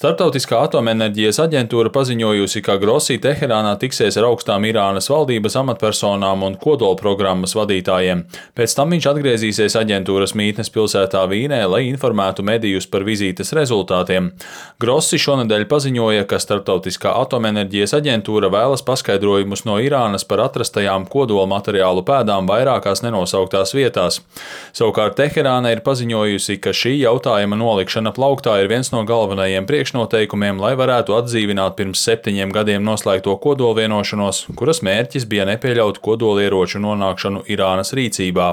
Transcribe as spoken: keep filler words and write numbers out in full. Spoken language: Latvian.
Starptautiskā atomenerģijas aģentūra paziņojusi, ka Grossi Teherānā tiksies ar augstām Irānas valdības amatpersonām un kodolprogrammas vadītājiem. Pēc tam viņš atgriezīsies aģentūras mītnes pilsētā Vīnē, lai informētu medijus par vizītes rezultātiem. Grossi šonedēļ paziņoja, ka Starptautiskā atomenerģijas aģentūra vēlas paskaidrojumus no Irānas par atrastajām kodola materiālu pēdām vairākās nenosauktās vietās. Savukārt Teherāna ir paziņojusi, ka šī jautājuma nolikšana plauktā ir viens no galvenajiem priekšnoteikumiem, lai varētu atdzīvināt pirms septiņiem gadiem noslēgto kodolvienošanos, kuras mērķis bija nepieļaut kodolieroču nonākšanu Irānas rīcībā.